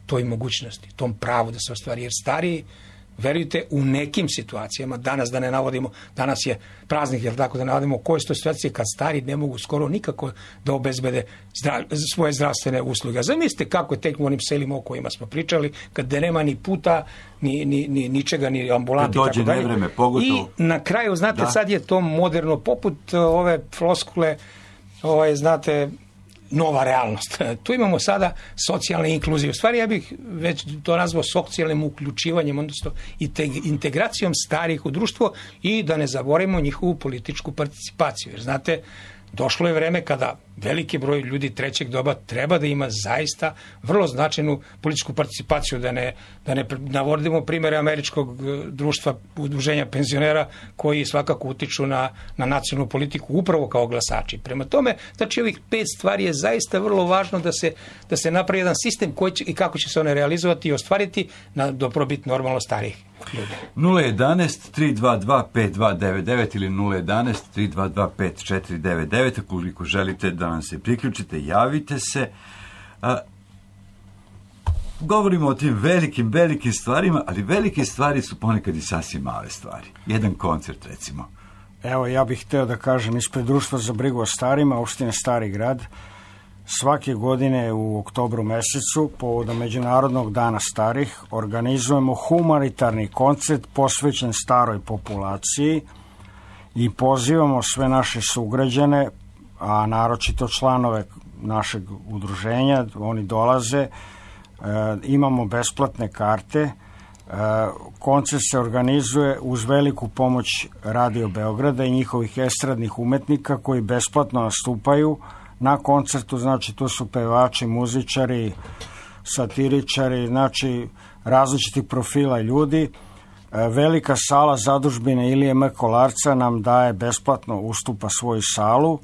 toj mogućnosti, tom pravu da se ostvari, jer stariji, verujte, u nekim situacijama, danas da ne navodimo, danas je praznik, jer tako da navodimo koje su to situacije kad stari ne mogu skoro nikako da obezbede svoje zdravstvene usluge. Zamislite kako je tek u onim selima o kojima smo pričali, kad nema ni puta, ni ničega, ni ambulanti. Dođe nevreme, pogotovo. I na kraju, znate, sad je to moderno, poput ove floskule, znate, nova realnost. Tu imamo sada socijalne inkluzije. U stvari ja bih već to nazvao socijalnim uključivanjem, odnosno integracijom starih u društvo i da ne zaboravimo njihovu političku participaciju. Jer znate, došlo je vreme kada veliki broj ljudi trećeg doba treba da ima zaista vrlo značajnu političku participaciju, da ne navodimo primjere američkog društva udruženja penzionera koji svakako utiču na nacionalnu politiku upravo kao glasači. Prema tome, znači ovih 5 stvari je zaista vrlo važno da se napravi jedan sistem koji će, i kako će se one realizovati i ostvariti na dobrobit normalno starijih. ljudi. 011-322-5299 ili 011-322-5499. Ukoliko želite da nam se priključite, javite se. Govorimo o tim velikim stvarima, ali velike stvari su ponekad i sasvim male stvari. Jedan koncert, recimo. Evo, ja bih hteo da kažem, ispred Društva za brigu o starima, opštine Stari Grad, svake godine u oktobru mesecu, povodom Međunarodnog dana starih, organizujemo humanitarni koncert posvećen staroj populaciji i pozivamo sve naše sugrađane, a naročito članove našeg udruženja, oni dolaze, imamo besplatne karte. Koncert se organizuje uz veliku pomoć Radio Beograda i njihovih estradnih umetnika koji besplatno nastupaju na koncertu. Znači, tu su pevači, muzičari, satiričari, znači različitih profila ljudi. Velika sala zadužbine Ilije M. Kolarca nam daje besplatno, ustupa svoju salu,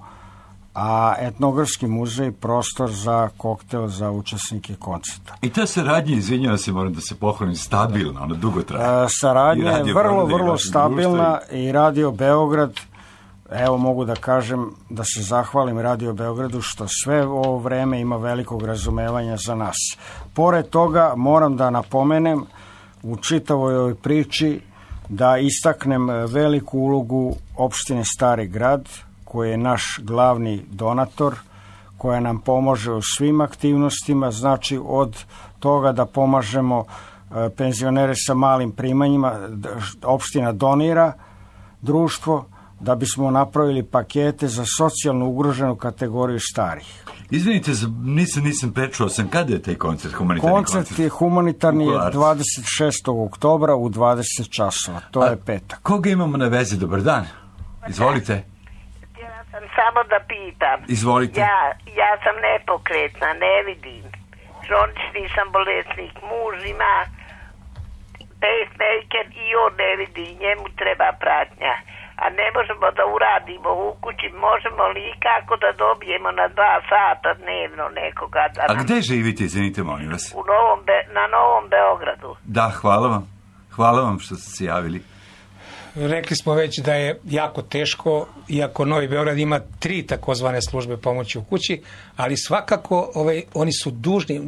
a Etnografski muzej prostor za koktel za učesnike koncerta. I ta saradnja, izvinjavam se, moram da se pohvalim, stabilna, ona dugo traje. Saradnja je vrlo stabilna i Radio Beograd, evo mogu da kažem da se zahvalim Radio Beogradu što sve ovo vreme ima velikog razumevanja za nas. Pored toga moram da napomenem u čitavoj ovoj priči da istaknem veliku ulogu opštine Stari Grad, koji je naš glavni donator, koja nam pomaže u svim aktivnostima, znači od toga da pomažemo penzionere sa malim primanjima, opština donira društvo da bismo napravili pakete za socijalno ugroženu kategoriju starih. Izvinite, nisam prečuo sam, kada je taj koncert, humanitarni koncert? Koncert je humanitarni 26. oktobra u 20 časova, to je petak. Koga imamo na vezi? Dobar dan, izvolite. Samo da pitam. Izvolite. Ja sam nepokretna, ne vidim. Kronični sam bolesnik, muž ima pacemaker i on ne vidi, njemu treba pratnja. A ne možemo da uradimo u kući, možemo li i kako da dobijemo na 2 sata dnevno nekoga da... A gde živite, izvinite, molim vas? Na Novom Beogradu. Da, hvala vam što ste se javili. Rekli smo već da je jako teško, iako Novi Beograd ima 3 takozvane službe pomoći u kući, ali svakako oni su dužni,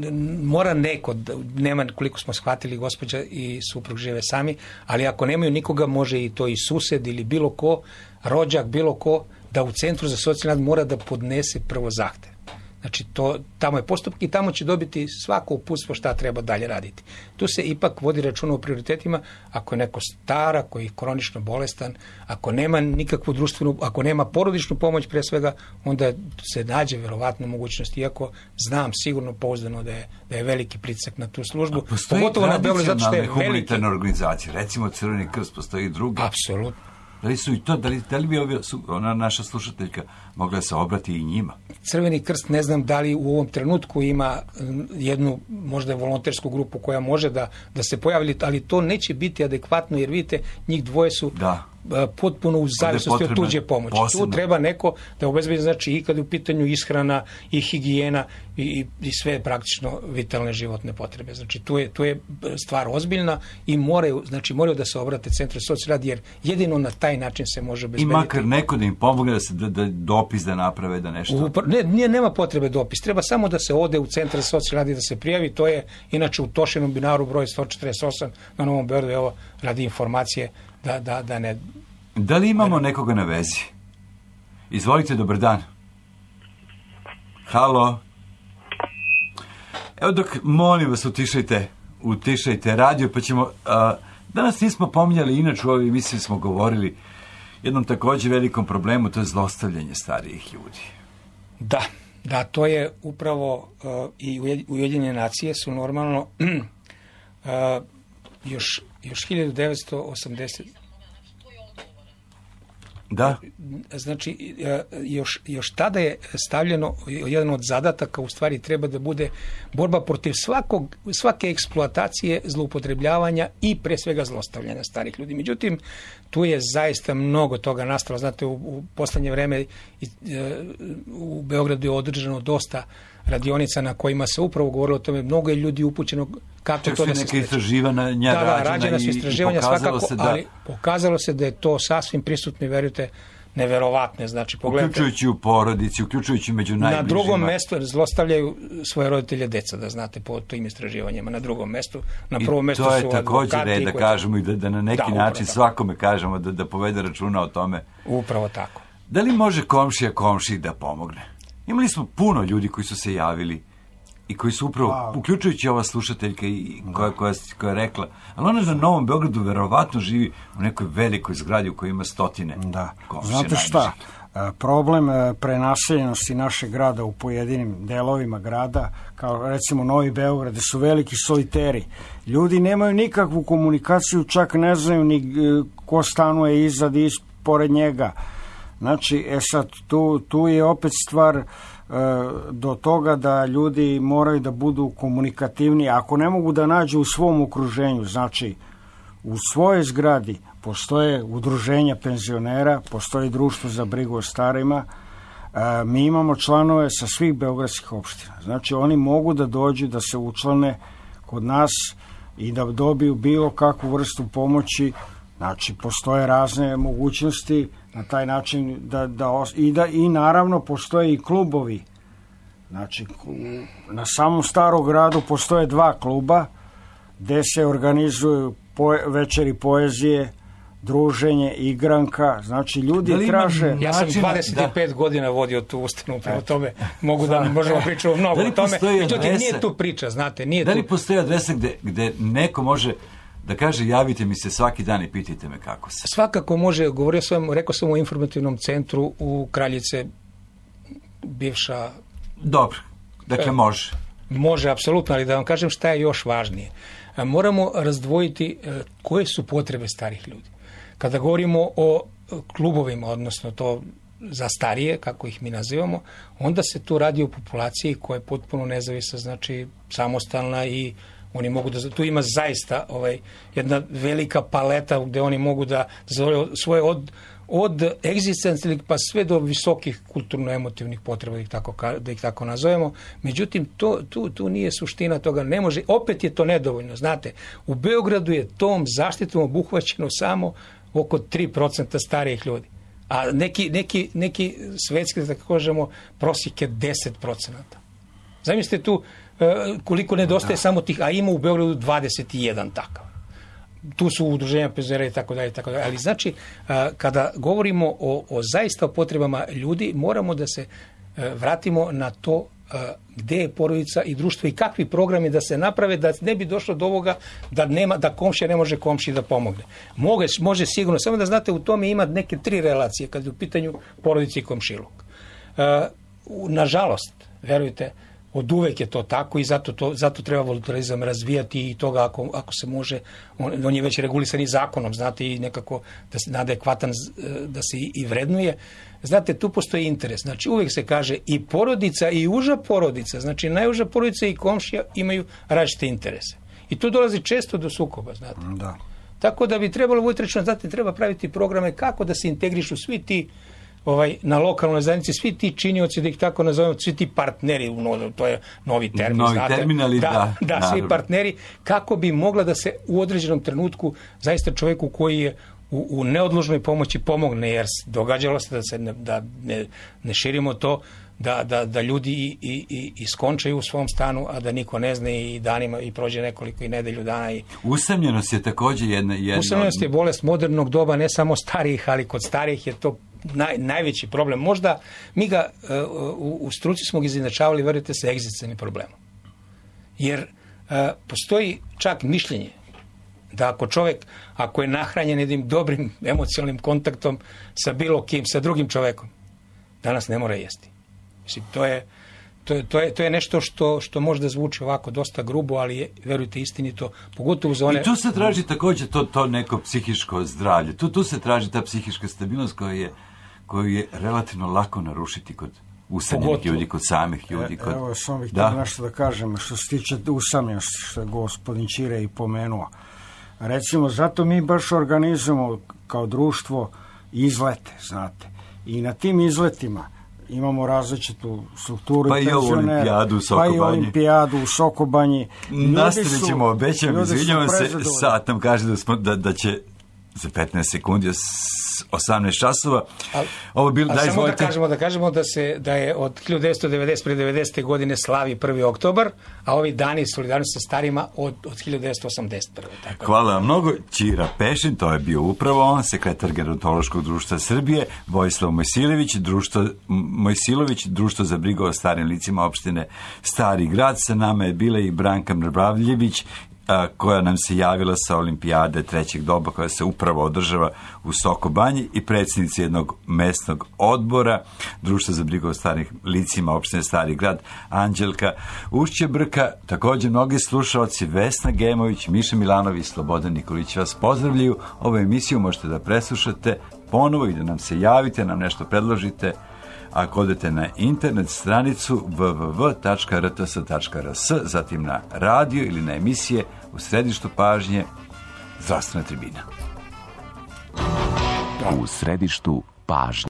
mora neko, nema koliko smo shvatili, gospođa i suprug žive sami, ali ako nemaju nikoga, može i to i sused ili bilo ko, rođak, bilo ko, da u Centru za socijalni rad mora da podnese prvo zahtev. Znači, tamo je postupak i tamo će dobiti svako uputstvo šta treba dalje raditi. Tu se ipak vodi računa o prioritetima, ako je neko star, ako je kronično bolestan, ako nema nikakvu društvenu, ako nema porodičnu pomoć pre svega, onda se nađe verovatno mogućnost, iako znam sigurno pouzdano da je veliki pritisak na tu službu. Postoji tradicionalne humanitarne organizacije, recimo Crveni krst, postoji i drugi. Apsolutno. Da li su i to, da li bi ona naša slušateljka mogla se obrati i njima? Crveni krst ne znam da li u ovom trenutku ima jednu možda volontersku grupu koja može da se pojavi, ali to neće biti adekvatno jer vidite, njih dvoje su potpuno u zavisnosti od tuđe pomoći. Posebno. Tu treba neko da obezbedi, znači i kad je u pitanju ishrana i higijena i sve praktično vitalne životne potrebe. Znači tu je stvar ozbiljna i moraju da se obrate Centru socijalni rad jer jedino na taj način se može obezbediti. I makar neko da im pomogne da dopis da naprave, da nešto... Nema potrebe dopis, treba samo da se ode u Centar socijalni rad i da se prijavi, to je inače u Tošinom binaru broj 148 na Novom Beogradu, evo radi informacije da ne... Da li imamo nekoga na vezi? Izvolite, dobar dan. Halo? Evo dok, molim vas, utišajte radio, pa ćemo... Danas nismo pominjali, inače u ovoj emisiji smo govorili jednom također velikom problemu, to je zlostavljanje starijih ljudi. Da, to je upravo i Ujedinjene nacije su normalno još 1980... Da. Znači, još tada je stavljeno, jedan od zadataka u stvari treba da bude borba protiv svake eksploatacije, zloupotrebljavanja i pre svega zlostavljanja starih ljudi. Međutim, tu je zaista mnogo toga nastalo. Znate, u poslednje vreme u Beogradu je održano dosta radionica na kojima se upravo govorilo o tome, mnogo je ljudi upućeno kako čak to da se neke istraživanja rađena su istraživanja svakako, ali pokazalo se da je to sasvim prisutno i verujte, neverovatne, znači pogledajte. Uključujući u porodici, uključujući među najbližima. Na drugom mestu zlostavljaju svoje roditelje deca, da znate, po tim istraživanjima, na drugom mestu. Na prvom mestu su advokati. I to je također red da kažemo i da na neki način svakome kažemo da povede računa o tome. Upravo tako. Da li može komšija komšiji da pomogne? Imali smo puno ljudi koji su se javili i koji su upravo, uključujući ova slušateljka koja je rekla, ali ona na Novom Beogradu verovatno živi u nekoj velikoj zgradi u kojoj ima stotine komšija. Znate šta, problem prenaseljenosti našeg grada u pojedinim delovima grada, kao recimo Novi Beograd, gde su veliki soliteri, ljudi nemaju nikakvu komunikaciju, čak ne znaju ni ko stanuje iza i pored njega. Znači, sad, tu je opet stvar do toga da ljudi moraju da budu komunikativni. Ako ne mogu da nađu u svom okruženju, znači u svojoj zgradi postoje udruženja penzionera, postoji društvo za brigu o starima, mi imamo članove sa svih beogradskih opština. Znači oni mogu da dođu da se učlane kod nas i da dobiju bilo kakvu vrstu pomoći. Znači postoje razne mogućnosti na taj način i naravno postoje i klubovi. Znači na samom Starom gradu postoje 2 kluba gde se organizuju večeri poezije, druženje, igranka, znači ljudi traže... Ja sam 25 godina vodio tu ustanovu, prema tome mogu da možemo pričati mnogo o tome, međutim nije tu priča, znate, nije tu... Da li postoji adresa gde neko može da kaže javite mi se svaki dan i pitajte me kako se? Svakako može, rekao sam o informativnom centru u Kraljice, bivša... Dobro, dakle može. Može, apsolutno, ali da vam kažem šta je još važnije. Moramo razdvojiti koje su potrebe starih ljudi. Kada govorimo o klubovima, odnosno to za starije, kako ih mi nazivamo, onda se tu radi o populaciji koja je potpuno nezavisna, znači samostalna i oni mogu da... Tu ima zaista jedna velika paleta gde oni mogu da zadovolje svoje od egzistencijalnih pa sve do visokih kulturno-emotivnih potreba, da ih tako nazovemo. Međutim, tu nije suština toga. Ne može, opet je to nedovoljno. Znate, u Beogradu je tom zaštitom obuhvaćeno samo oko 3% starijih ljudi. A neki svetski, da kažemo, prosjek je 10%. Zamislite tu koliko nedostaje samo tih, a ima u Beogradu 21 takav. Tu su udruženja penzionera i tako dalje, ali znači kada govorimo o zaista potrebama ljudi, moramo da se vratimo na to gde je porodica i društvo i kakvi programi da se naprave da ne bi došlo do ovoga da komšija ne može komšiji da pomogne. Može sigurno, samo da znate, u tome ima neke 3 relacije kad je u pitanju porodice i komšiluk. Nažalost, verujte, od uvek je to tako i zato treba voluntarizam razvijati i toga ako se može, on je već regulisan i zakonom, znate, i nekako na adekvatan da se i vrednuje. Znate, tu postoji interes. Znači, uvek se kaže i porodica i uža porodica, znači najuža porodica i komšija imaju različite interese. I tu dolazi često do sukoba, znate. Da. Tako da bi trebalo voditi računa, znate, treba praviti programe kako da se integrišu svi ti na lokalnoj zajednici, svi ti činioci, da ih tako nazovemo, svi ti partneri, to je novi termin, znate. Terminali, da, svi partneri, kako bi mogla da se u određenom trenutku zaista čovjeku koji je u neodložnoj pomoći pomogne, jer događalo se da ne širimo to, da ljudi i skončaju u svom stanu, a da niko ne zna i danima i prođe nekoliko i nedelju dana. Usamljenost je također jedna... Usamljenost je bolest modernog doba, ne samo starijih, ali kod starijih je to najveći problem. Možda mi ga u struci smo ga izjednačavali, verujte, sa egzistencijalnim problemom. Jer postoji čak mišljenje da ako čovjek, ako je nahranjen jednim dobrim emocionalnim kontaktom sa bilo kim, sa drugim čovjekom, danas ne mora jesti. Mislim, to je nešto što možda zvuči ovako dosta grubo, ali je, verujte, istinito, pogotovo za one... I tu se traži također to neko psihičko zdravlje. Tu se traži ta psihička stabilnost koju je relativno lako narušiti kod usamljenih ljudi, kod samih ljudi. Evo, samo bih htio nešto da kažem, što se tiče usamljenosti, što je gospodin Ćire i pomenuo. Recimo, zato mi baš organizujemo kao društvo izlete, znate. I na tim izletima imamo različitu strukturu pa i olimpijadu u Sokobanji. Pa i olimpijadu u Sokobanji. Nastavit ćemo, obećam, izvinjavam se, sad nam kaže da će za 15 sekundi 18 časova. Samo da kažemo da je od 1990. godine slavi 1. oktobar, a ovi dani solidarnosti sa starima od 1981. Tako. Hvala vam mnogo. Ćira Pešin, to je bio upravo on, sekretar Gerontološkog društva Srbije, Vojislav Mojsilović, društvo za brigu o starim licima opštine Stari grad. Sa nama je bila i Branka Mrbavljević, koja nam se javila sa olimpijade trećeg doba koja se upravo održava u Sokobanji, i predsjednica jednog mesnog odbora društva za brigu o starim licima opštine Stari grad Anđelka Ušćebrka. Također mnogi slušalci, Vesna Gemović, Miša Milanović, Slobodan Nikolić vas pozdravljaju. Ovu emisiju možete da preslušate ponovo i da nam se javite, nam nešto predložite ako odete na internet stranicu www.rts.rs, zatim na radio ili na emisije U središtu pažnje Zdravstvena tribina. U središtu pažnje.